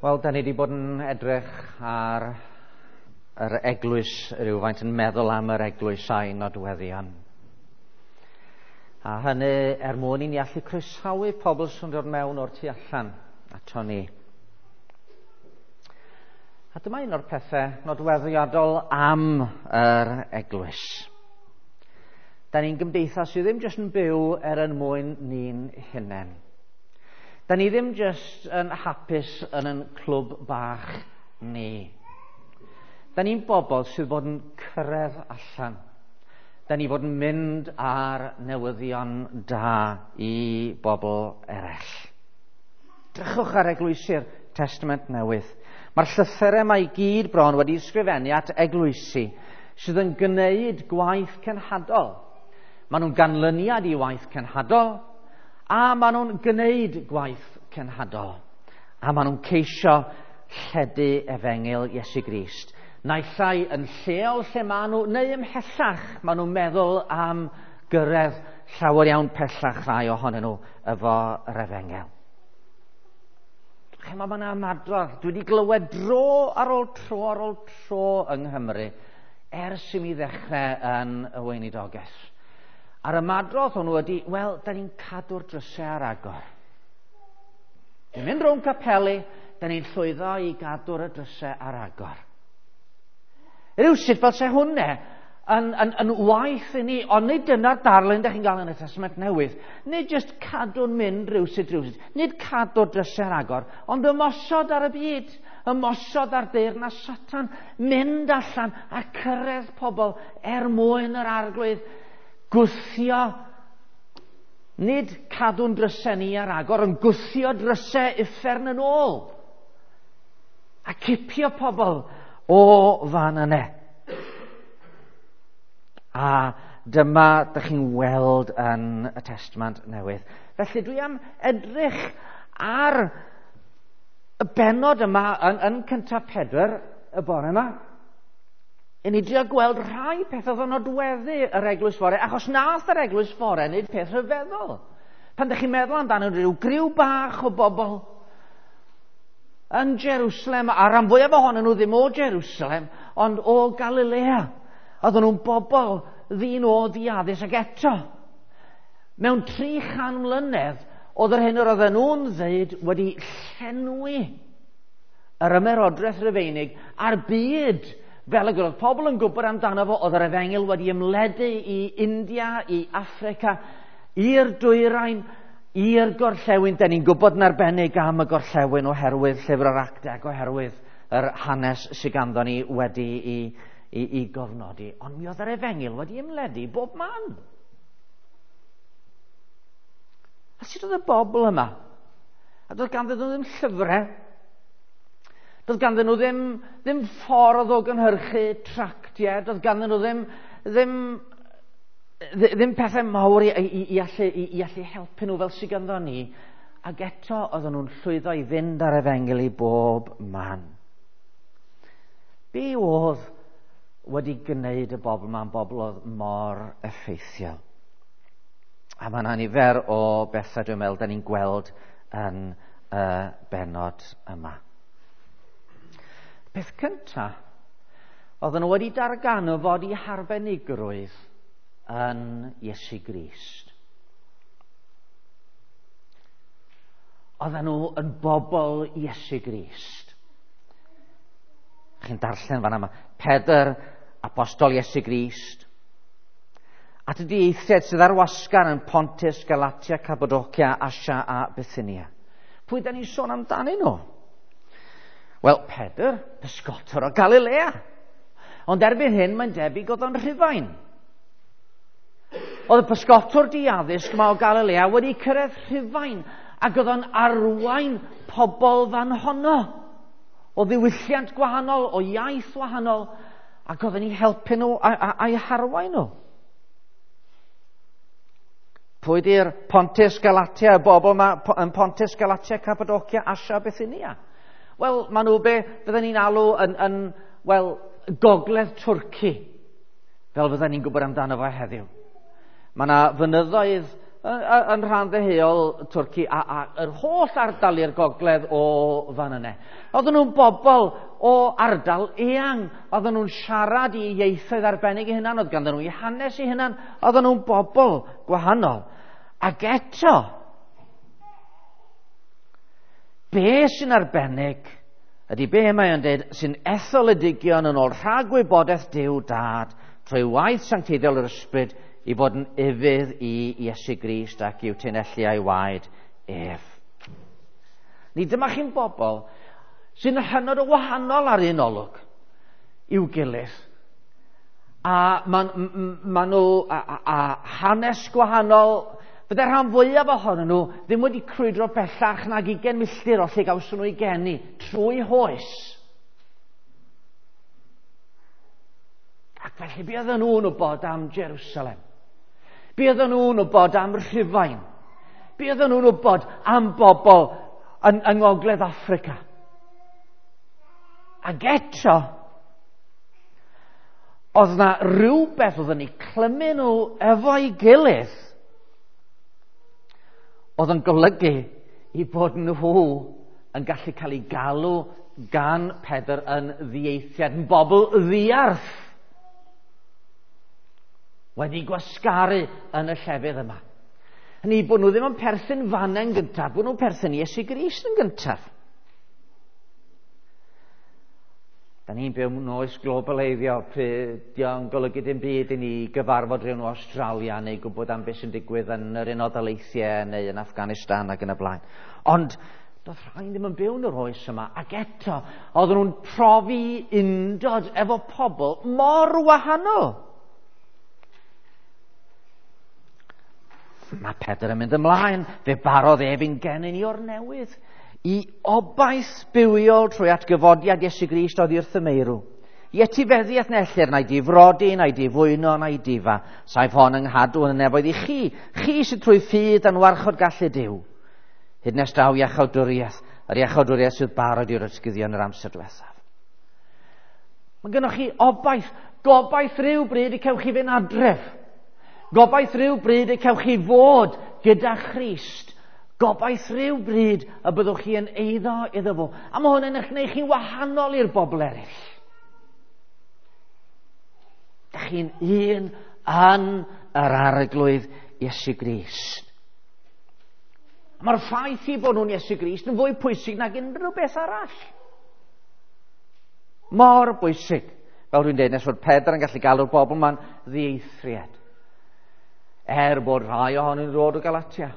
Wel, da ni wedi bod yn edrych ar yr eglwys rhywfaint, yn meddwl am yr eglwys a'i nodweddion. A hynny er mwyn i ni allu croesawu pobl sy'n dod mewn o'r tu allan ato ni. A dyma un o'r pethau nodweddiadol am yr eglwys. Da ni'n gymdeithas sydd ddim jyst yn byw er yn mwyn ni'n hunain. Da ni ddim jyst yn hapus yn ein clwb bach ni. Da ni'n bobl sydd fod yn cyrraedd allan. Da ni fod yn mynd ar newyddion da i bobl eraill. Drychwch ar eglwysi'r Testament Newydd. Mae'r llythyrau yma i gyd bron wedi ysgrifennu at eglwysi sydd yn gwneud gwaith cenhadol. Maen nhw'n ganlyniad i waith cenhadol, a maen nhw'n gwneud gwaith cenhadol. A maen nhw'n ceisio lledu efengyl Iesu Grist. Naill ai yn lleol lle maen nhw, neu ymhellach, maen nhw'n meddwl am gyrraedd llawer iawn pellach rhai ohonyn nhw efo yr efengyl. Chimod, mae yna ymadrodd. Dwi wedi glywed dro ar ôl tro ar ôl tro yng Nghymru ers i mi ddechrau yn y weinidogaeth. A'r ymadrodd hwnnw ydy, wel, da ni'n cadw'r drysau ar agor. Ni'n mynd rownd capeli, da ni'n llwyddo i gadw'r y drysau ar agor. Rywsut fel se hwnna yn waith i ni, ond nid dyna'r darlun da chi'n gael yn y Testament Newydd. Nid jyst cadw'n mynd rywsut rywsut, nid cadw'r drysau ar agor, ond ymosod ar y byd, ymosod ar deyrnas Satan, mynd allan a cyrraedd pobl er mwyn yr Arglwydd, gwthio, nid cadw'n drysau ni ar agor, ond gwthio drysau uffern yn ôl. A cipio pobl o fan yna. A dyma dych chi'n weld yn y Testament Newydd. Felly dwi am edrych ar y bennod yma yn cyntaf Pedr y bore yma. I ni drio gweld rhai pethau oedd yn nodweddu yr eglwys fore, achos nath yr eglwys fore wneud peth rhyfeddol. Pan ydych chi'n meddwl amdano rhyw griw bach o bobl yn Jerusalem, a rhan fwyaf ohonyn nhw ddim o Jerusalem, ond o Galilea. Oedden nhw'n bobl ddyn o ddiaddys, ac eto, mewn 300 mlynedd, oedd yr hyn yr oedden nhw'n ddeud wedi llenwi yr ymerodraeth Rufeinig a'r byd. Fel y gwrodd pobl yn gwybod amdano fo, oedd yr efengyl wedi ymledu i India, i Affrica, i'r dwyrain, i'r gorllewin. Da ni'n gwybod yn arbennig am y gorllewin oherwydd llyfr yr Actau ac oherwydd yr hanes sydd ganddo ni wedi i gofnodi. Ond mi oedd yr efengyl wedi ymledu bob man. A sut oedd y bobl yma? A doedd ganddyn nhw ddim llyfrau. Doedd ganddyn nhw ddim ffordd o gynhyrchu tractiau, doedd ganddyn nhw ddim pethau mawr i allu helpu nhw fel sydd ganddo ni. Ac eto oedden nhw'n llwyddo i fynd ar efengyl i bob man. Be oedd wedi gwneud y bobl yma'n bobl oedd mor effeithiol? A mae yna nifer o bethau dwi'n meddwl da ni'n gweld yn y bennod yma. Peth cyntaf, oedden nhw wedi darganfod eu harbenigrwydd yn Iesu Grist. Oedden nhw yn bobl Iesu Grist. Chi'n darllen fan yma, Pedr, apostol Iesu Grist, at y dieithiaid sydd ar wasgar yn Pontus, Galatia, Cappadocia, Asia a Bithynia. Pwy da ni'n sôn amdanyn nhw? Wel, Pedr, pysgotwr o Galilea. Ond erbyn hyn, mae'n debyg oedd o'n Rhufain. Oedd y pysgotwr diaddysg yma o Galilea wedi cyrraedd Rhufain ac oedd o'n arwain pobl fan honno. O ddiwylliant gwahanol, o iaith wahanol, ac oedd o'n eu helpu nhw a'i harwain nhw. Pwy di'r Pontus, Galatia, y bobl yma yn Pontus, Galatia, Cappadocia, Asia, Bithynia? Wel, maen nhw be fydden ni'n alw yn wel, gogledd Twrci, fel fydden ni'n gwybod amdano fo heddiw. Mae yna fynyddoedd yn rhan ddeheuol Twrci a yr holl ardal i'r gogledd o fan yna. Oedden nhw'n bobl o ardal eang. Oedden nhw'n siarad i ieithoedd arbennig eu hunan, oedd ganddyn nhw eu hanes eu hunan. Oedden nhw'n bobl gwahanol. Ac eto, be sy'n arbennig ydy be mae o'n dweud sy'n etholedigion yn ôl rhagwybodaeth Duw Dad trwy waith sancteiddiol yr Ysbryd i fod yn ufudd i Iesu Grist ac i'w tunellu a'i waed ef. Ni dyma chi'n bobl sy'n hynod o wahanol ar un olwg i'w gilydd. A ma nhw a hanes gwahanol. Bydde rhan fwyaf ohonyn nhw ddim wedi crwydro bellach nag 20 milltir o lle gawson nhw eu geni trwy hoes. Ac felly be oedden nhw'n wybod am Jerusalem? Be oedden nhw'n wybod am Rhufain? Be oedden nhw'n wybod am bobl yng Ngogledd Affrica? Ac eto, oedd na rhywbeth oedd yn eu clymu nhw efo'i gilydd oedd yn golygu i bod nhw yn gallu cael eu galw gan Pedr yn ddieithiad, yn bobl ddiarth, wedi gwasgaru yn y llefydd yma. Hynny bod nhw ddim yn perthyn fanne'n gyntaf, bod nhw'n perthyn Iesu Grist yn gyntaf. Da ni'n byw mewn oes globaleiddio, pryd dio'n golygu dim byd i ni gyfarfod rhywun o Australia neu gwybod am beth sy'n digwydd yn yr Unol Daleithiau neu yn Afghanistan ac yn y blaen. Ond doedd rhai ddim yn byw yn yr oes yma, ac eto oedden nhw'n profi undod efo pobl mor wahanol. Mae Pedr yn mynd ymlaen, fe barodd ef i'n genyn i o'r newydd, i obaith bywiol trwy atgyfodiad Iesu Grist oddi wrth y meirw. I etifeddiaeth na ellir, na'i difrodi, na'i difwyno, na'i difa. Saif hon yng nghadw yn y nefoedd i chi, chi sydd trwy ffydd yn warchod gallu Duw. Hyd nes daw iachawdwriaeth, yr iachawdwriaeth sydd barod i'r ysgyddion yr amser diwethaf. Mae gennych chi obaith, gobaith rhyw bryd y cewch chi fynd adref. Gobaith rhyw bryd y cewch chi fod gyda Christ. Gobaith rhyw bryd y byddwch chi yn eiddo iddo fo. A mae hwn yn eich gwneud chi'n wahanol i'r bobl eraill. Da chi'n un yn yr Arglwydd Iesu Grist. Mae'r ffaith i bod nhw'n Iesu Grist yn fwy pwysig nag unrhyw beth arall. Mor bwysig. Fel dwi'n dweud, nes fod Pedr yn gallu galw'r bobl ma'n ddieithriad. Er bod rhai ohonyn nhw'n dod o Galatia,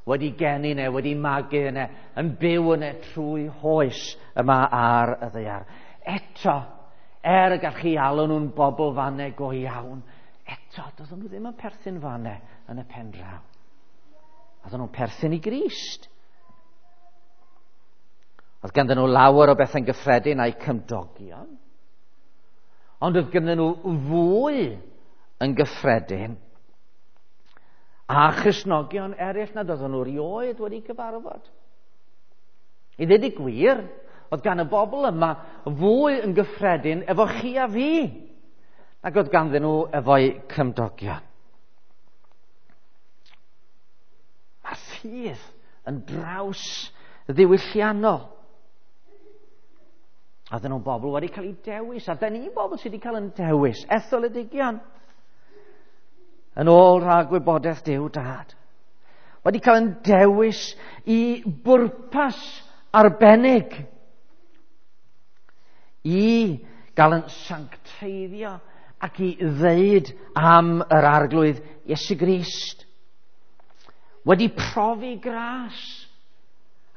wedi geni neu wedi magu yna, yn byw yna trwy hoes yma ar y ddaear. Eto, er y gall chi alw nhw'n bobl fanne go iawn, eto, doedden nhw ddim yn perthyn fanne yn y pen draw. Oedden nhw'n perthyn i Grist. Oedd ganddyn nhw lawer o bethau'n gyffredin a'u cymdogion, ond oedd ganddyn nhw fwy yn gyffredin a Christnogion eraill nad oedden nhw erioed wedi cyfarfod. I ddweud y gwir, oedd gan y bobl yma fwy yn gyffredin efo chi a fi nag oedd ganddyn nhw efo'u cymdogion. Mae'r ffydd yn draws ddiwylliannol. Oedden nhw'n bobl wedi cael eu dewis, a da ni'n bobl sydd wedi cael yn dewis, etholedigion, yn ôl rhag gwybodaeth Duw Dad. Wedi cael yn dewis i bwrpas arbennig, i gael yn sancteiddio ac i ddeud am yr Arglwydd Iesu Grist. Wedi profi gras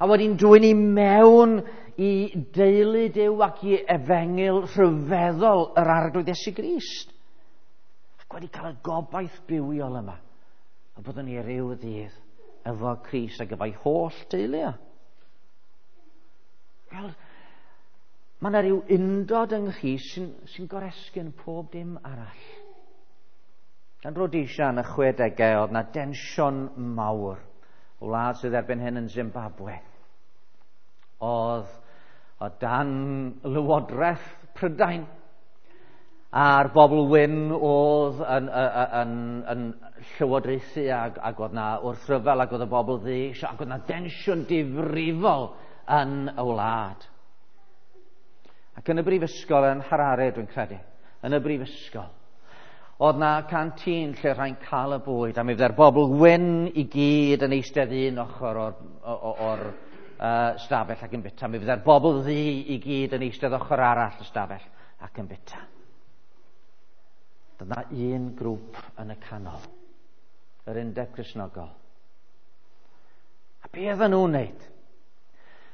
a wedi'n dwyn i mewn i deulu Duw ac i efengyl rhyfeddol yr Arglwydd Iesu Grist. Ac wedi cael y gobaith bywiol yma, a byddwn ni ryw ddydd efo Crist ac efo'i holl deulu. Wel, mae yna rhyw undod yng Nghrist sy'n goresgyn pob dim arall. Yn Rhodesia yn y 60au oedd yna densiwn mawr. O wlad sydd erbyn hyn yn Zimbabwe. Oedd o dan lywodraeth Prydain. A'r bobl wyn oedd yn llywodraethu ac oedd na wrthryfel ac oedd y bobl ddu eisiau, ac oedd na densiwn difrifol yn y wlad. Ac yn y brifysgol yn Harare, dwi'n credu, yn y brifysgol, oedd na canteen lle rhai'n cael y bwyd, a mi fydde'r bobl wyn i gyd yn eistedd un ochr o'r stafell ac yn byta. Mi fydde'r bobl ddu i gyd yn eistedd ochr arall y stafell ac yn byta. Dyna un grŵp yn y canol, yr Undeb Cristnogol. A be oedden nhw'n wneud?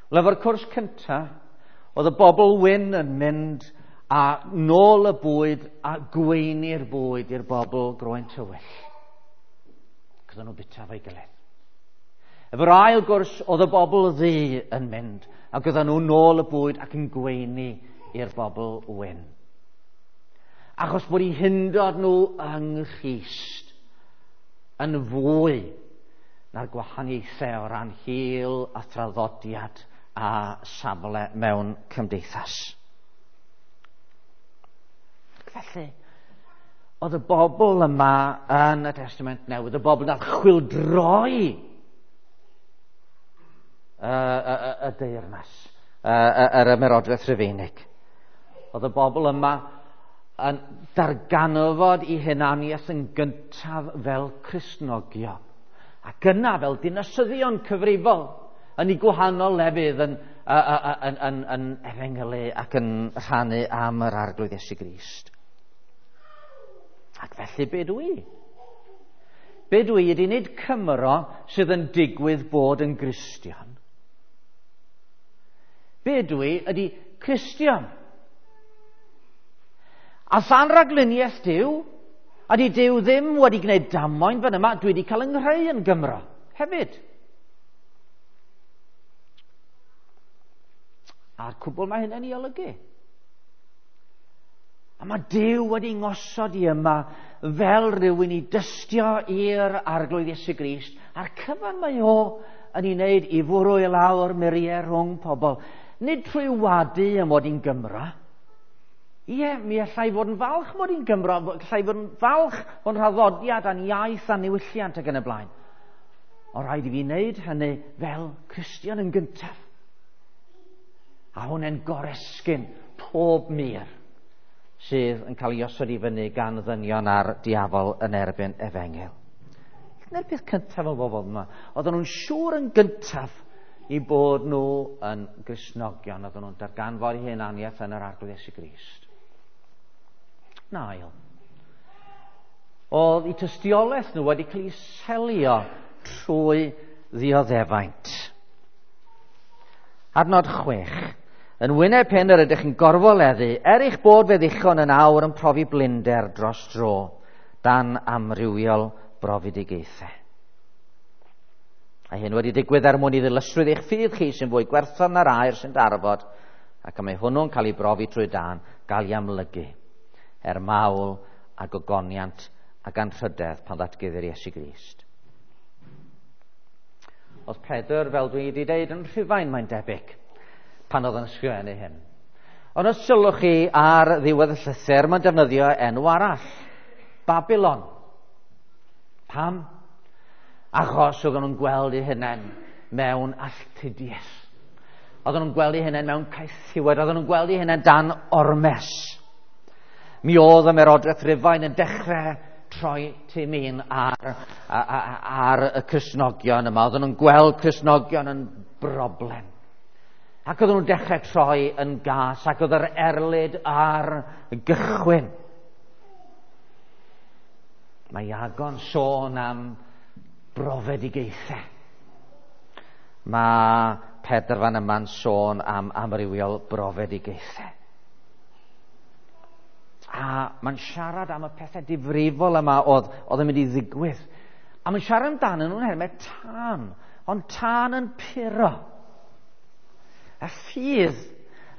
Wel, efo'r cwrs cyntaf, oedd y bobl wyn yn mynd a nôl y bwyd a gweini'r bwyd i'r bobl groen tywyll. Ac oedden nhw'n byta efo'i gilydd. Efo'r ail gwrs, oedd y bobl ddu yn mynd ac oedden nhw'n nôl y bwyd ac yn gweini i'r bobl wyn. Achos bod eu hundod nhw yng Nghrist yn fwy na'r gwahaniaethau o ran hil a thraddodiad a safle mewn cymdeithas. Felly, oedd y bobl yma yn y Testament Newydd, y bobl nath chwyldroi y deyrnas, yr ymerodraeth Rufeinig. Oedd y bobl yma yn darganfod eu hunaniaeth yn gyntaf fel Cristnogion, ac yna fel dinasyddion cyfrifol yn eu gwahanol lefydd yn efengylu ac yn rhannu am yr Arglwydd Iesu Grist. Ac felly be dw i? Be dw i ydy nid Cymro sydd yn digwydd bod yn Gristion. Be dw i ydy Cristion. A than ragluniaeth Duw, a di Duw ddim wedi gwneud damwain fan yma, dwi wedi cael yng nghreu yn Gymro hefyd. A'r cwbl mae hynny'n ei olygu. A mae Duw wedi ngosod i yma fel rhywun i dystio i'r Arglwydd Iesu Grist, a'r cyfan mae o yn ei wneud i fwrw i lawr muriau rhwng pobl. Nid trwy wadu am fod i'n Gymro. Ie, mi allai fod yn falch mod i'n Gymro, allai fod yn falch o'n rhaddodiad a'n iaith a'n niwylliant ac yn y blaen. Ond rhaid i fi wneud hynny fel Cristion yn gyntaf. A hwnna'n goresgyn pob mur sydd yn cael ei osod i fyny gan ddynion a'r diafol yn erbyn efengyl. Dyna'r peth cyntaf o bobl yma. Oedden nhw'n siŵr yn gyntaf i bod nhw yn Gristnogion, oedden nhw'n darganfod eu hunaniaeth yn yr Arglwydd Iesu Grist. Nail. Oedd eu tystiolaeth nhw wedi cael ei selio trwy ddioddefaint. Adnod 6. Yn wyneb hyn yr ydych yn gorfoleddu, er eich bod fe ddichon yn awr yn profi blinder dros dro, dan amrywiol brofedigaethau. A hyn wedi digwydd er mwyn i ddilysrwydd eich ffydd chi sy'n fwy gwerthfawr na'r aur sy'n darfod, ac y mae hwnnw'n cael ei brofi trwy dân, gael ei amlygu, er mawl a gogoniant ac anrhydedd pan ddatguddir Iesu Grist. Oedd Pedr, fel dwi wedi deud, yn Rhufain, mae'n debyg, pan oedd yn ysgrifennu hyn. Ond os sylwch chi ar ddiwedd y llythyr, mae'n defnyddio enw arall, Babylon. Pam? Achos oedden nhw'n gweld eu hunain mewn alltudiaeth. Oedden nhw'n gweld eu hunain mewn caethiwed, oedden nhw'n gweld eu hunain dan ormes. Mi oedd ymerodraeth Rufain yn dechrau troi timin ar y Cristnogion yma. Oedden nhw'n gweld Cristnogion yn broblem. Ac oedden nhw'n dechrau troi yn gas, ac oedd yr erlid ar gychwyn. Mae Iago'n sôn am brofedigaethau. Mae Pedr fan yma'n sôn am amrywiol brofedigaethau. A mae'n siarad am y pethau difrifol yma oedd yn mynd i ddigwydd. A mae'n siarad amdanyn nhw'n hermau tân, ond tân yn puro. Y ffydd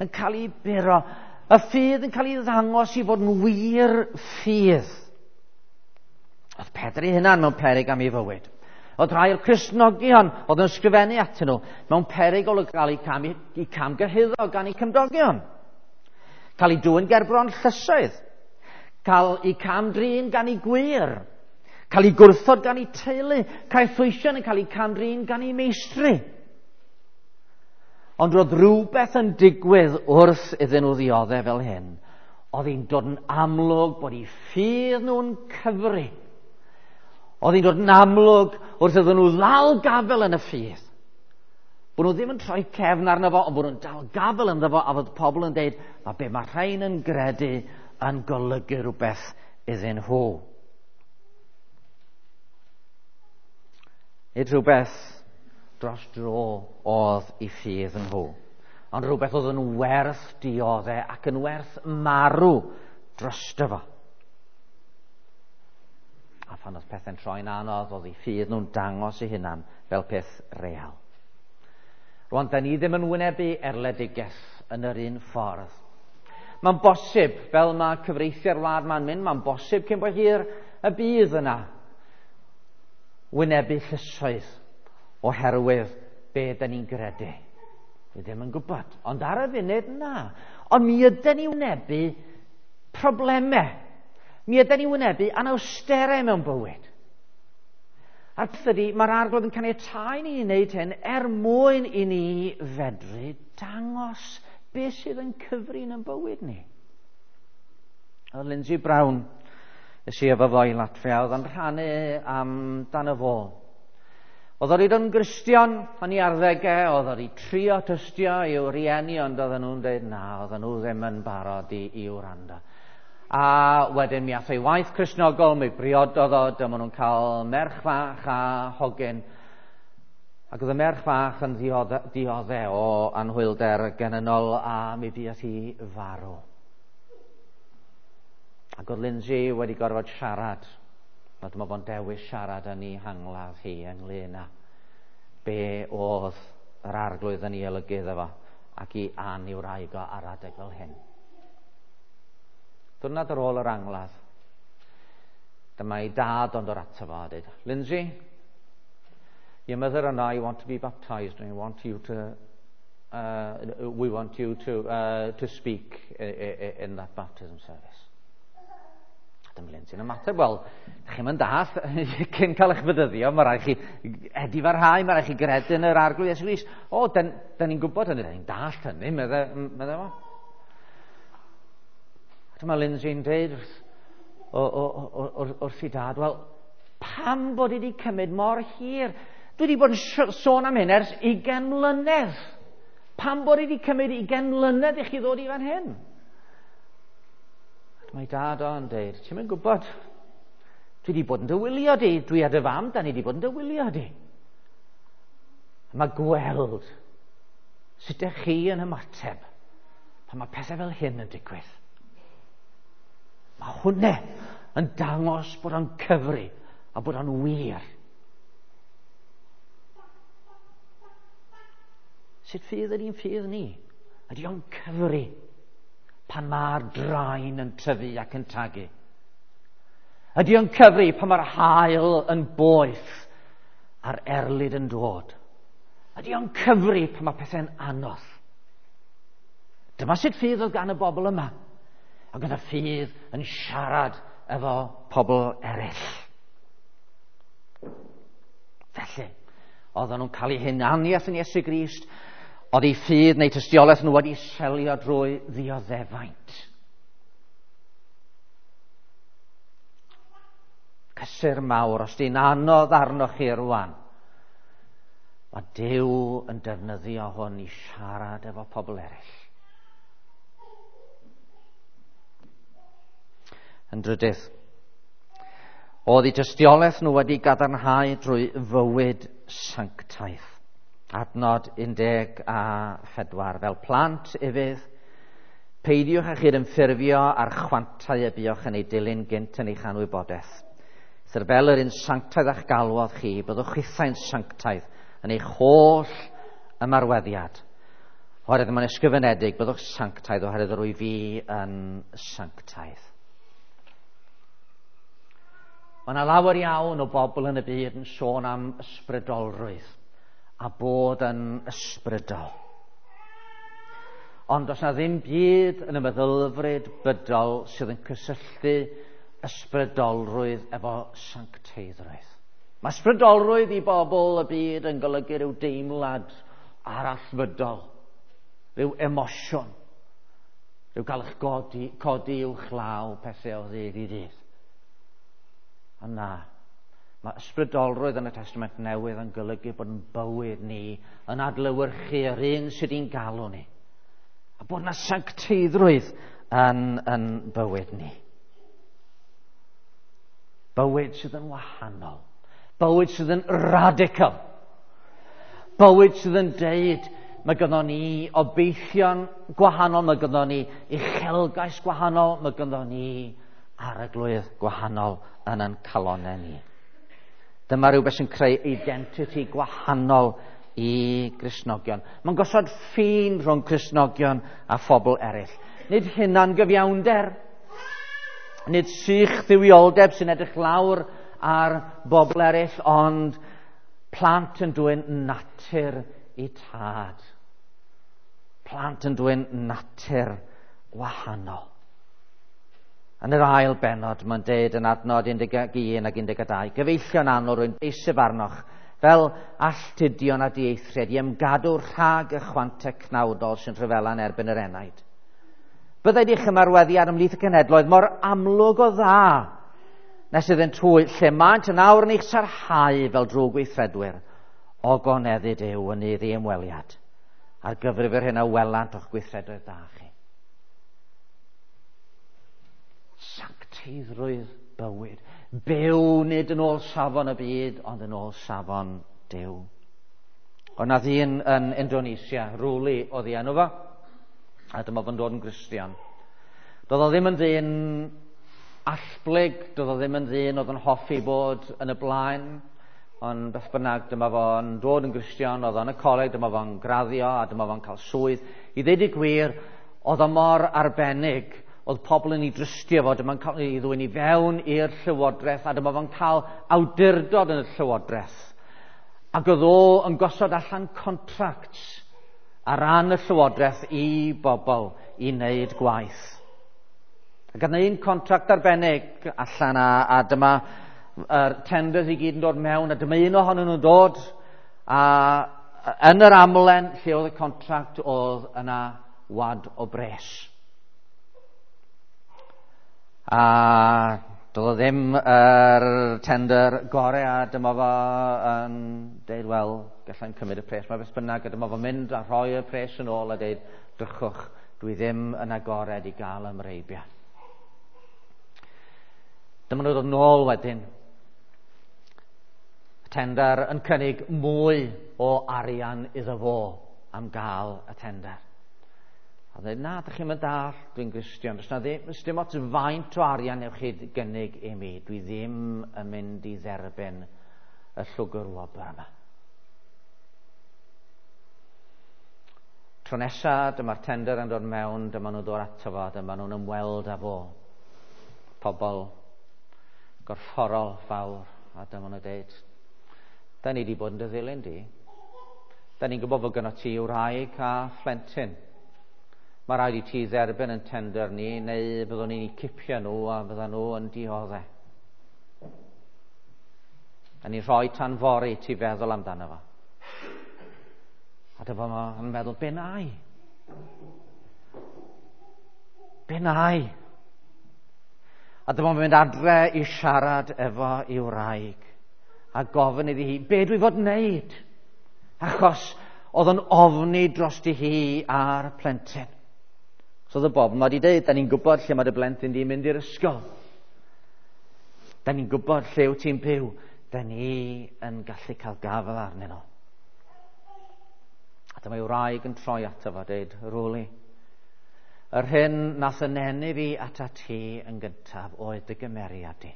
yn cael ei buro. Y ffydd yn cael ei ddangos i fod yn wir ffydd. Oedd Pedr ei hunan mewn peryg am ei fywyd. Oedd rhai o'r Cristnogion oedd yn ysgrifennu atyn nhw mewn peryg o gael eu camgyhuddo gan eu cymdogion. Cael eu dwyn gerbron llysoedd. Cael eu cam-drin gan eu gwŷr. Cael eu gwrthod gan eu teulu. Caethweision yn cael eu cam-drin gan eu meistri. Ond roedd rhywbeth yn digwydd wrth iddyn nhw ddioddef fel hyn. Oedd hi'n dod yn amlwg bod eu ffydd nhw'n cyfri. Oedd hi'n dod yn amlwg wrth iddyn nhw ddal gafel yn y ffydd. Bod nhw ddim yn troi cefn arno fo, ond bod nhw'n dal gafel ynddo fo, a fod pobl yn deud, mae be mae rhain yn gredu yn golygu rhywbeth iddyn nhw. Nid rhywbeth dros dro oedd i ffydd nhw, ond rhywbeth oedd yn werth dioddef ac yn werth marw drosto fo. A phan oedd pethau'n troi'n anodd, oedd eu ffydd nhw'n dangos eu hunan fel peth real. Rwan, da ni ddim yn wynebu erledigaeth yn yr un ffordd. Mae'n bosib, fel mae cyfreithiau'r wlad ma'n mynd, mae'n bosib cyn bo hir y bydd yna wynebu llysoedd oherwydd be da ni'n gredu. Dwi ddim yn gwybod, ond ar y funud na. Ond mi ydy ni wynebu problemau. Mi ydy ni wynebu anawsterau mewn bywyd. A'r peth ydy, mae'r Arglwydd yn caniatáu ni i wneud hyn er mwyn i ni fedru dangos beth sydd yn cyfri yn bywyd ni. Oedd Lindsay Brown, es i efo fo i Latfia, oedd yn rhannu amdano fo. Oedd o wedi dod yn Gristion yn ei arddegau, oedd o wedi trio tystio i'w rieni, ond oedden nhw'n dweud na, oedden nhw ddim yn barod i wrando. A wedyn mi ath ei waith Cristnogol, mi briododd o, dyma nhw'n cael merch fach a hogyn. Ac oedd y merch fach yn diodde o anhwylder genynol a mi buodd hi farw. Ac oedd Lindsay wedi gorfod siarad. A dyma fo'n dewis siarad yn ei hangladd hi ynglyn â be oedd yr Arglwydd yn ei olygu iddo fo ac i Ann i'w wraig o ar adeg fel hyn. Diwrnod ar ôl yr angladd, dyma ei dad ond o'r ato fo a dweud, Lindsay, your mother and I want to be baptised and we want you to we want you to speak in that baptism service. Dyma Lindsay'n ymateb, wel, chi'n mynd dall, cyn cael eich fedyddio, mae rhaid chi edifarhau, mae rhaid chi gredu yn yr Arglwydd Iesu Grist. O, da ni'n gwybod hynny, da ni'n dallt hynny, medde fo. Dyma Lindsay'n dweud wrth ei dad, wel, pam bod i wedi cymryd mor hir? Dwi wedi bod yn sôn am hyn ers 20 mlynedd. Pam bod i wedi cymryd 20 mlynedd i chi ddod i fan hyn? Mae dad o'n dweud, ti'n mynd gwybod, dwi wedi bod yn dy wylio di, dwi a dy fam, da ni wedi bod yn dy wylio di. Mae gweld sut ydych chi yn ymateb pan mae pethau fel hyn yn digwydd. Mae hwnna yn dangos bod o'n cyfri a bod o'n wir. Sut ffydd ydy'n ffydd ni? Ydy o'n cyfri pan mae'r draen yn tyfu ac yn tagu? Ydy o'n cyfri pan mae'r haul yn boeth a'r erlid yn dod? Ydy o'n cyfri pan mae pethau'n anodd? Dyma sut ffydd oedd gan y bobl yma. Ac oedd y ffydd yn siarad efo pobl eraill. Felly, oedden nhw'n cael eu hunaniaeth yn Iesu Grist, oedd eu ffydd neu tystiolaeth nhw wedi selio drwy ddioddefaint. Cysur mawr, os di'n anodd arnoch chi rwan, mae Duw yn defnyddio hwn i siarad efo pobl eraill. Yn drydydd, oedd eu tystiolaeth nhw wedi gadarnhau drwy fywyd sanctaidd. Adnod 14, fel plant ufudd, peidiwch â chydymffurfio â'r chwantau y buoch yn ei dilyn gynt yn eich anwybodaeth. Eithr fel yr un sanctaidd a'ch galwodd chi, byddwch chithau'n sanctaidd yn eich holl ymarweddiad. Oherwydd mae'n ysgrifenedig, byddwch sanctaidd oherwydd yr wyf fi yn sanctaidd. Mae yna lawer iawn o bobl yn y byd yn sôn am ysbrydolrwydd a bod yn ysbrydol. Ond does na ddim byd yn y meddylfryd bydol sydd yn cysylltu ysbrydolrwydd efo sancteiddrwydd. Mae ysbrydolrwydd i bobl y byd yn golygu rhyw deimlad arallfydol, rhyw emosiwn, rhyw gael eich codi uwch law pethau o ddydd i ddydd. Ond na, mae ysbrydolrwydd yn y Testament Newydd yn golygu bod yn bywyd ni yn adlewyrchu yr un sydd i'n galw ni. A bod yna sancteiddrwydd yn bywyd ni. Bywyd sydd yn wahanol. Bywyd sydd yn radical. Bywyd sydd yn deud, mae gynnon ni obeithion gwahanol, mae gynnon ni uchelgais gwahanol, mae gynnon ni arglwydd gwahanol yn ein calonnau ni. Dyma rhywbeth sy'n creu identity gwahanol i Gristnogion. Mae'n gosod ffin rhwng Cristnogion a phobl eraill. Nid hunan gyfiawnder, nid sych dduwioldeb sy'n edrych lawr ar bobl eraill, ond plant yn dwyn natur i tad. Plant yn dwyn natur wahanol. Yn yr ail bennod, mae'n deud yn adnod 11 ac 12, gyfeillion annwyl, rwy'n deiseb arnoch, fel alltudion a dieithriad, i ymgadw rhag y chwantau cnawdol sy'n rhyfela yn erbyn yr enaid. Byddai di'ch ymarweddiad ymhlith y cenhedloedd mor amlwg o dda, nes iddynt hwy, lle maent yn awr yn eich sarhau fel drwg gweithredwyr, o goneddu Duw yn nydd ei ymweliad, ar gyfrif yr hyn a welant o'ch gweithredoedd da chi. Sancteiddrwydd bywyd. Byw nid yn ôl safon y byd, ond yn ôl safon Duw. Ond nath un yn Indonesia, Ruli oedd ei enw fo, a dyma fo'n dod yn Gristion. Doedd o ddim yn ddyn allblyg, doedd o ddim yn ddyn oedd yn hoffi bod yn y blaen, ond beth bynnag, dyma fo'n dod yn Gristion, oedd o'n y coleg, dyma fo'n graddio, a dyma fo'n cael swydd. I ddeud y gwir, oedd o mor arbennig, oedd pobl yn ei drystio fo, dyma'n cael ei ddwyn i fewn i'r llywodraeth, a dyma fo'n cael awdurdod yn y llywodraeth. Ac oedd o yn gosod allan contracts ar ran y llywodraeth i bobl i wneud gwaith. Ac oedd un contract arbennig allan a dyma yr tenders i gyd yn dod mewn, a dyma un ohonyn nhw'n dod, a yn yr amlen lle oedd y contract oedd yna wad o bres. A doedd o ddim yr tender gorau, a dyma fo yn deud, wel, gallai'n cymryd y pres. Mae beth bynnag, a dyma fo'n mynd a rhoi y pres yn ôl a deud, drychwch, dwi ddim yn agored i gael ymreibiad. Dyma nhw ddod nôl wedyn. Y tender yn cynnig mwy o arian iddo fo am gael y tender. A dweud, na, dych chi'n mynd dall, dwi'n Gristion. Does na ddim, dim ots faint o arian newch chi gynnig i mi. Dwi ddim yn mynd i dderbyn y llwgr wobr yma. Tro nesa, dyma'r tender yn dod mewn, dyma nhw'n dod ato fo, dyma nhw'n ymweld â fo. Pobl gorfforol fawr, a dyma nhw'n dweud, da ni wedi bod yn dy ddilyn di. Da ni'n gwybod fod gynno ti wraig a phlentyn. Mae rhaid i ti dderbyn yn tender ni, neu byddwn ni'n cipio nhw a fyddan nhw yn dioddef. A ni'n rhoi tan fory ti feddwl amdano fo. A dyma fo'n meddwl, be na i? Be na i? A dyma fo'n mynd adre i siarad efo i'w wraig a gofyn iddi hi, be dwi fod wneud? Achos oedd o'n ofni drosti hi a'r plentyn. So oedd y bobl ma wedi dweud, da ni'n gwybod lle mae dy blentyn di'n mynd i'r ysgol. Da ni'n gwybod lle wyt ti'n byw. Da ni yn gallu cael gafael arnyn nhw. A dyma ei wraig yn troi ato fo a dweud, Ruli, yr hyn nath yn eni fi ata ti yn gyntaf oedd dy gymeriad di.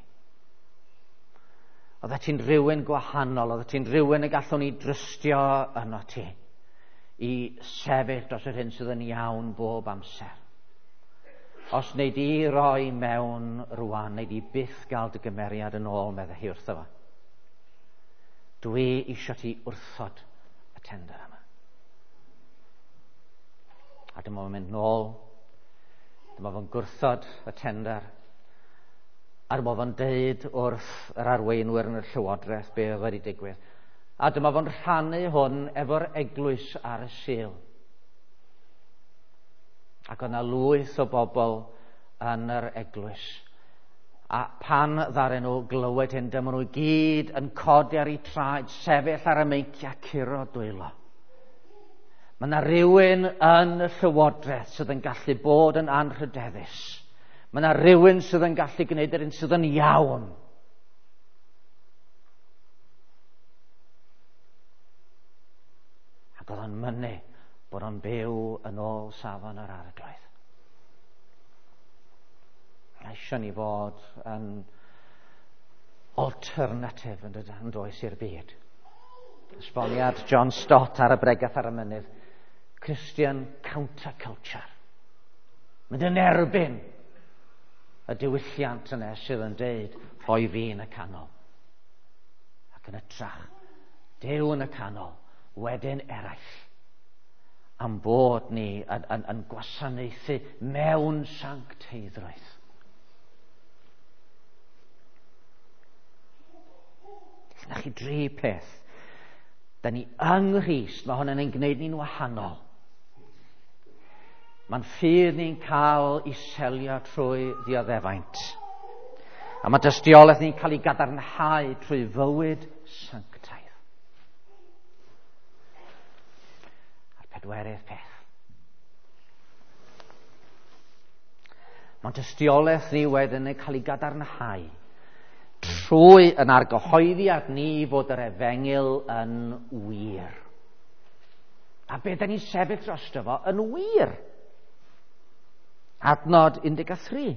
Oeddet ti'n rhywun gwahanol, oeddet ti'n rhywun y gallwn ni drystio yno ti i sefyll dros yr hyn sydd yn iawn bob amser. Os wnei di roi mewn rwan, wnei di byth gael dy gymeriad yn ôl, meddai hi wrtho fo. Dwi eisiau ti wrthod y tender yma. A dyma fo'n mynd nôl. Dyma fo'n gwrthod y tender. A dyma fo'n deud wrth yr arweinwyr yn y llywodraeth be oedd wedi digwydd. A dyma fo'n rhannu hwn efo'r eglwys ar y Sul. Ac oedd 'na lwyth o bobl yn yr eglwys. A pan ddaren nhw glywed hyn, dyma nhw i gyd yn codi ar eu traed, sefyll ar y meinciau, curo dwylo. Mae yna rhywun yn y llywodraeth sydd yn gallu bod yn anrhydeddus. Mae yna rhywun sydd yn gallu gwneud yr un sydd yn iawn. Ac oedd o'n mynnu bod o'n byw yn ôl safon yr Arglwydd. Mae eisiau ni fod yn alternative yn dydyn, yn does i'r byd. Esboniad John Stott ar y bregath ar y mynydd. Christian counterculture. Mynd yn erbyn y diwylliant yna sydd yn deud rhoi fi yn y canol. Ac yn ytrach, Duw yn y canol, wedyn eraill. Am bod ni yn, yn, yn gwasanaethu mewn sancteiddrwydd. Na chi dri peth. Da ni yng Nghrist, mae hwn yn ein gwneud ni'n wahanol. Mae'n ffydd ni'n cael i selio trwy ddioddefaint. A mae dystiolaeth ni'n cael ei gadarnhau trwy fywyd sanctaidd. A'r pedwerydd peth. Mae'n dystiolaeth ni wedyn yn cael ei gadarnhau trwy yn argyhoeddiad ni fod yr efengyl yn wir. A be da ni'n sefyll drosto fo yn wir. Adnod 13.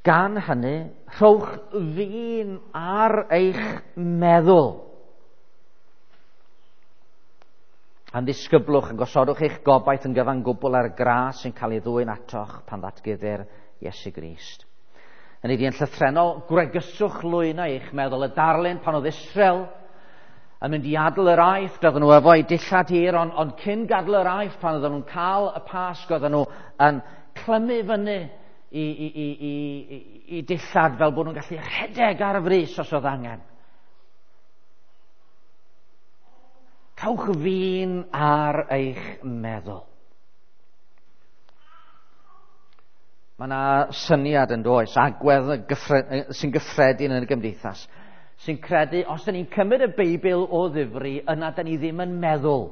Gan hynny, rhowch fin ar eich meddwl. Am ddisgyblwch yn gosodwch eich gobaith yn gyfan gwbl ar y gras sy'n cael ei ddwyn atoch pan ddatguddir Iesu Grist. Yn ei yn llythrennol, gwregyswch lwynau eich meddwl. Y darlun pan oedd Israel yn mynd i adael yr Aifft, oedden nhw efo'u dillad hir, ond, ond cyn gadael yr Aifft, pan oedden nhw'n cael y Pasg, oedden nhw yn clymu fyny i, i, i, i, i, i dillad fel bod nhw'n gallu rhedeg ar y frys os oedd angen. Cawch fin ar eich meddwl. Mae yna syniad yn does, agwedd sy'n gyffredin yn y gymdeithas, sy'n credu os da ni'n cymryd y Beibl o ddifri, yna da ni ddim yn meddwl.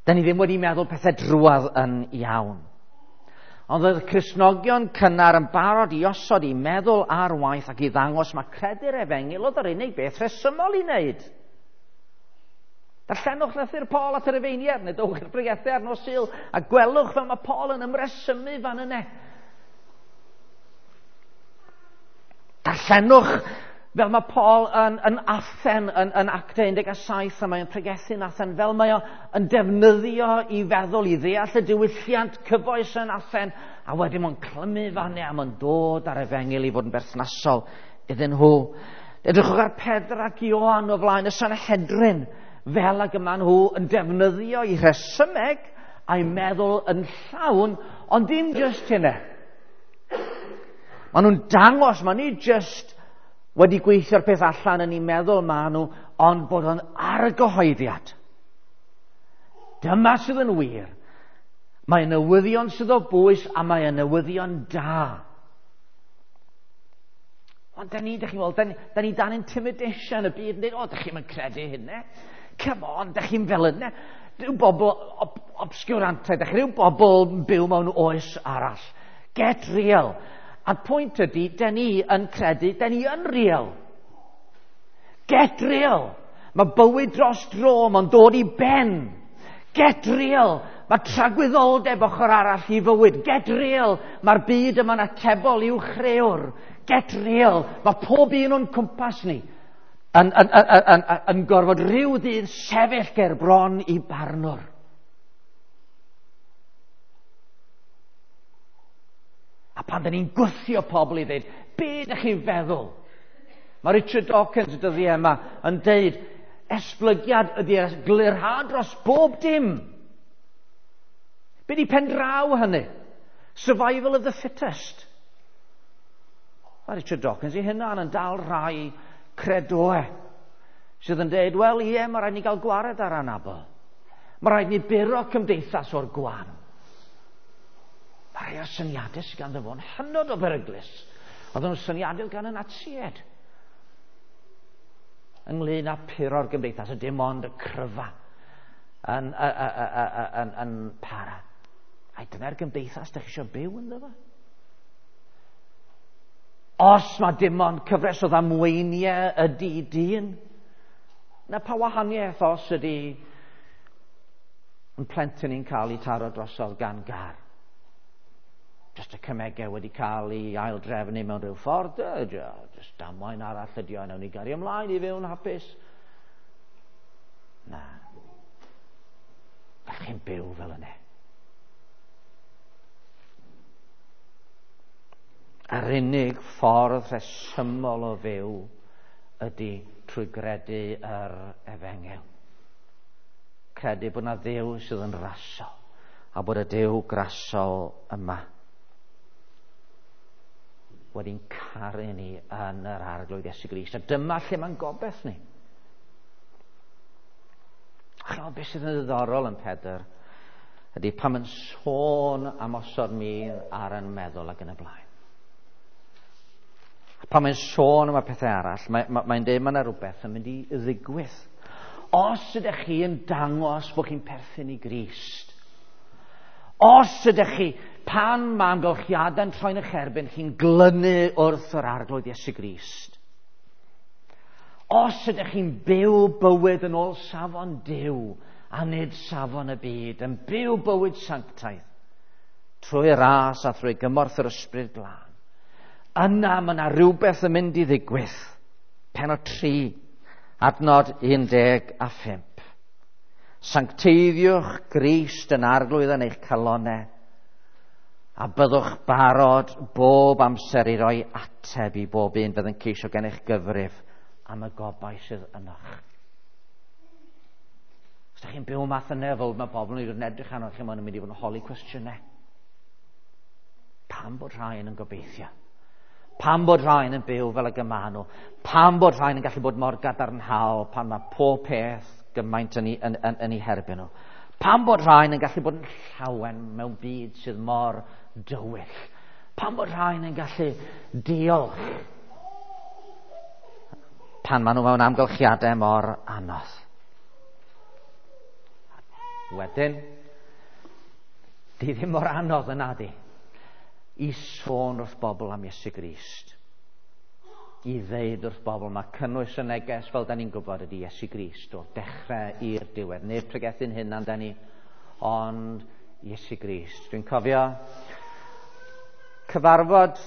Da ni ddim wedi meddwl pethau drwadd yn iawn. Ond oedd Cristnogion cynnar yn barod i osod i meddwl ar waith ac i ddangos mae credu'r efengyl oedd yr unig beth rhesymol i wneud. Darllenwch lythyr Paul at yr Rufeiniaid, neu dowch i'r bregethau ar nos Sul, a gwelwch fel mae Paul yn ymresymu fan yna. Darllenwch fel mae Paul yn, yn Athen, yn, yn Actau 17, a mae'n pregethu'n Athen, fel mae o yn defnyddio i feddwl, i ddeall y diwylliant cyfoes yn Athen, a wedyn mae'n clymu fan a mae'n dod ar efengyl i fod yn berthnasol iddyn nhw. Edrychwch ar Pedr ac Ioan o flaen y Sanhedrin, fel ag yma nhw yn defnyddio i rhesymeg a'i meddwl yn llawn, ond dim just hynny. Maen nhw'n dangos, maen nhw just wedi gweithio'r peth allan yn eu meddwl maen nhw, ond bod o'n argyhoeddiad. Dyma sydd yn wir. Mae newyddion sydd o bwys a mae newyddion da. Ond da ni, da chi'n weld, da ni, da ni dan intimidation y byd yn dweud, o, da chi'n mynd credu hynny. Come on, da chi'n fel yna. Rhyw bobl ob obscurantaidd, da chi rhyw bobl yn byw mewn oes arall. Get real. A'r pwynt ydy, da ni yn credu, da ni yn real. Get real. Mae bywyd dros dro, mae'n dod i ben. Get real. Mae tragwyddoldeb ochr arall i fywyd. Get real. Mae'r byd yma'n atebol i'w chrëwr. Get real. Mae pob un o'n cwmpas ni yn, yn, yn, yn, yn, yn gorfod rhyw ddydd sefyll ger bron i barnwr. A pan da ni'n gwthio pobl i ddweud, be ydych chi'n feddwl? Mae Richard Dawkins y dyddiau yma yn deud, esblygiad, ydy glirhad dros bob dim? Be di pendraw hynny? Survival of the fittest. Mae Richard Dawkins ei hunan yn dal rhai credoe sydd yn dweud, wel ie, mae rhaid ni gael gwared ar anabl. Mae rhaid ni buro cymdeithas o'r gwan. Mae rhai o'r syniadau sydd ganddo fo'n hynod o beryglus. Oedden nhw'n syniadau gan y Natsied ynglyn â puro'r gymdeithas, a dim ond y cryfa yn, yn, yn, yn para. Ai dyna'r gymdeithas da chi eisiau byw ynddo fo? Os mae dim ond cyfres o ddamweiniau ydy dyn, na pa wahaniaeth os ydy yn plentyn ni'n cael ei taro drosodd gan gar. Just y cymegau wedi cael ei aildrefnu mewn rhyw ffordd, just damwain arall ydy o, nawn ni gario ymlaen i fyw'n hapus. Na. Gallwch chi'n byw fel yna. Yr unig ffordd rhesymol o fyw ydy trwy gredu yr efengyl. Credu bod yna Dduw sydd yn rasol a bod y Duw grasol yma wedi'n caru ni yn yr Arglwydd Iesu Grist. A dyma lle mae'n gobeith ni. Chymod beth sydd yn ddiddorol yn Pedr ydy pan mae'n sôn am osod min ar yn meddwl ac yn y blaen. Pan mae'n sôn am y pethau arall, mae'n mae, mae dweud mae yna rhywbeth yn mynd i ddigwydd. Os ydych chi yn dangos bod chi'n perthyn i Grist, os ydych chi, pan mae amgylchiadau'n troi'n eich erbyn, chi'n glynu wrth yr Arglwydd Iesu Grist. Os ydych chi'n byw bywyd yn ôl safon Duw a nid safon y byd, yn byw bywyd sanctaidd, trwy ras a thrwy gymorth yr Ysbryd Glân, yna mae yna rhywbeth yn mynd i ddigwydd. Penod 3, adnod 15. Sancteiddiwch Grist yn Arglwydd yn eich calonau, a byddwch barod bob amser i roi ateb i bob un fydd yn ceisio gen eich gyfrif am y gobaith sydd ynoch. Os ydych chi'n byw math yna, fel mae bobl yn edrych arnoch chi, maen nhw'n mynd i fod yn holi cwestiynau. Pam bod rhain yn gobeithio? Pam bod rhain yn byw fel y gyma nhw? Pam bod rhain yn gallu bod mor gadarnhaol pan mae pob peth gymaint yn ei, yn, yn, yn ei herbyn nhw? Pam bod rhain yn gallu bod yn llawen mewn byd sydd mor dywyll? Pam bod rhain yn gallu diolch pan maen nhw mewn amgylchiadau mor anodd? Wedyn, di ddim mor anodd yna di i sôn wrth bobl am Iesu Grist. I ddeud wrth bobl, mae cynnwys y neges fel da ni'n gwybod ydy Iesu Grist o'r dechrau i'r diwedd. Nid pregethu'n hunan da ni, ond Iesu Grist. Dwi'n cofio cyfarfod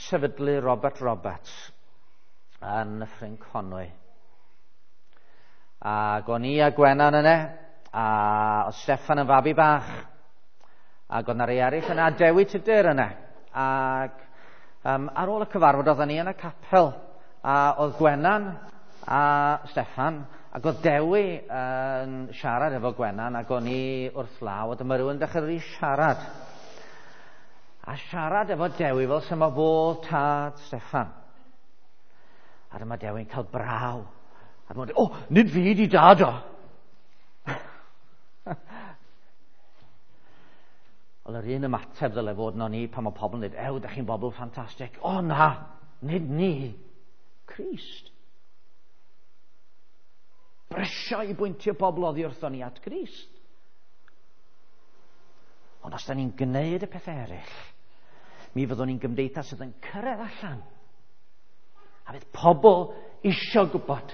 sefydlu Robert Roberts yn Nyffryn Conwy. Ac o'n i a Gwenan yna, a oedd Steffan yn fabi bach, ac oedd 'na rei eraill yna, a Dewi Tudur yna. Ac ar ôl y cyfarfod oedden ni yn y capel, a oedd Gwenan a Steffan, ac oedd Dewi yn siarad efo Gwenan, ac o'n i wrth law, a dyma rhywun dechrau i siarad. A siarad efo Dewi fel sy'n ma fo tad Steffan. A dyma Dewi'n cael braw. A dyma dweud, o, nid fi di dad o. Wel, yr un ymateb ddyle fod yno ni pan mae pobl yn dweud, ew, da chi'n bobl ffantastig. O na, nid ni. Crist. Brysio i bwyntio pobl oddi wrthon ni at Grist. Ond os da ni'n gwneud y pethau eraill, mi fyddwn ni'n gymdeithas sydd yn cyrraedd allan. A fydd pobl isio gwybod.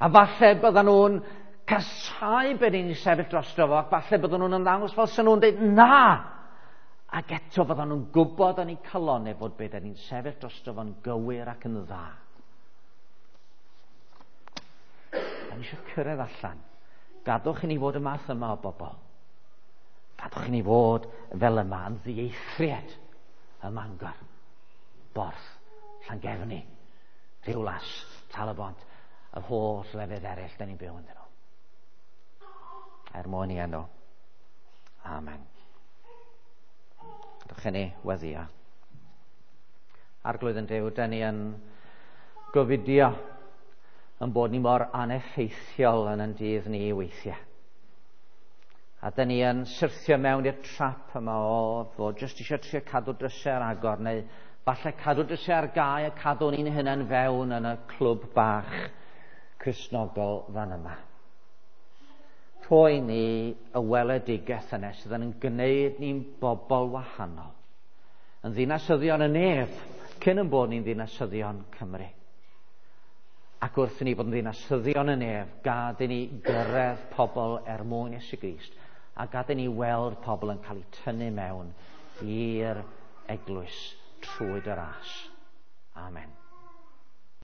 A falle byddan nhw'n casau be ni'n sefyll drosto fo, ac falle byddan nhw'n ymddangos fel sy'n nhw'n dweud na. Ac eto byddan nhw'n gwybod yn eu calonau fod be ni'n sefyll drosto fo'n gywir ac yn dda. Da ni eisiau cyrraedd allan. Gadwch i ni fod y math yma o bobl. Gadwch i ni fod fel yma yn ddieithriad ym Mangor, Borth, Llangefni, Rhiwlas, Tal-y-bont. yr holl lefydd eraill da ni'n byw ynddyn nhw. Er mwyn i enw. Amen. Dwch i ni weddio. Arglwydd yn Duw, da ni yn gofidio yn bod ni mor aneffeithiol yn yn dydd ni weithiau. A da ni yn syrthio mewn i'r trap yma o fod jyst eisiau trio cadw drysau ar agor, neu falle cadw drysau ar gau a cadw ni'n hunain fewn yn y clwb bach Cristnogol fan yma. Rhoi ni y weledigaeth yna sydd yn gwneud ni'n bobl wahanol. Yn ddinasyddion y nef, cyn yn bod ni'n ddinasyddion Cymru. Ac wrth i ni fod yn ddinasyddion y nef, gad i ni gyrraedd pobl er mwyn Iesu Grist, a gad i ni weld pobl yn cael eu tynnu mewn i'r eglwys trwy dy ras. Amen.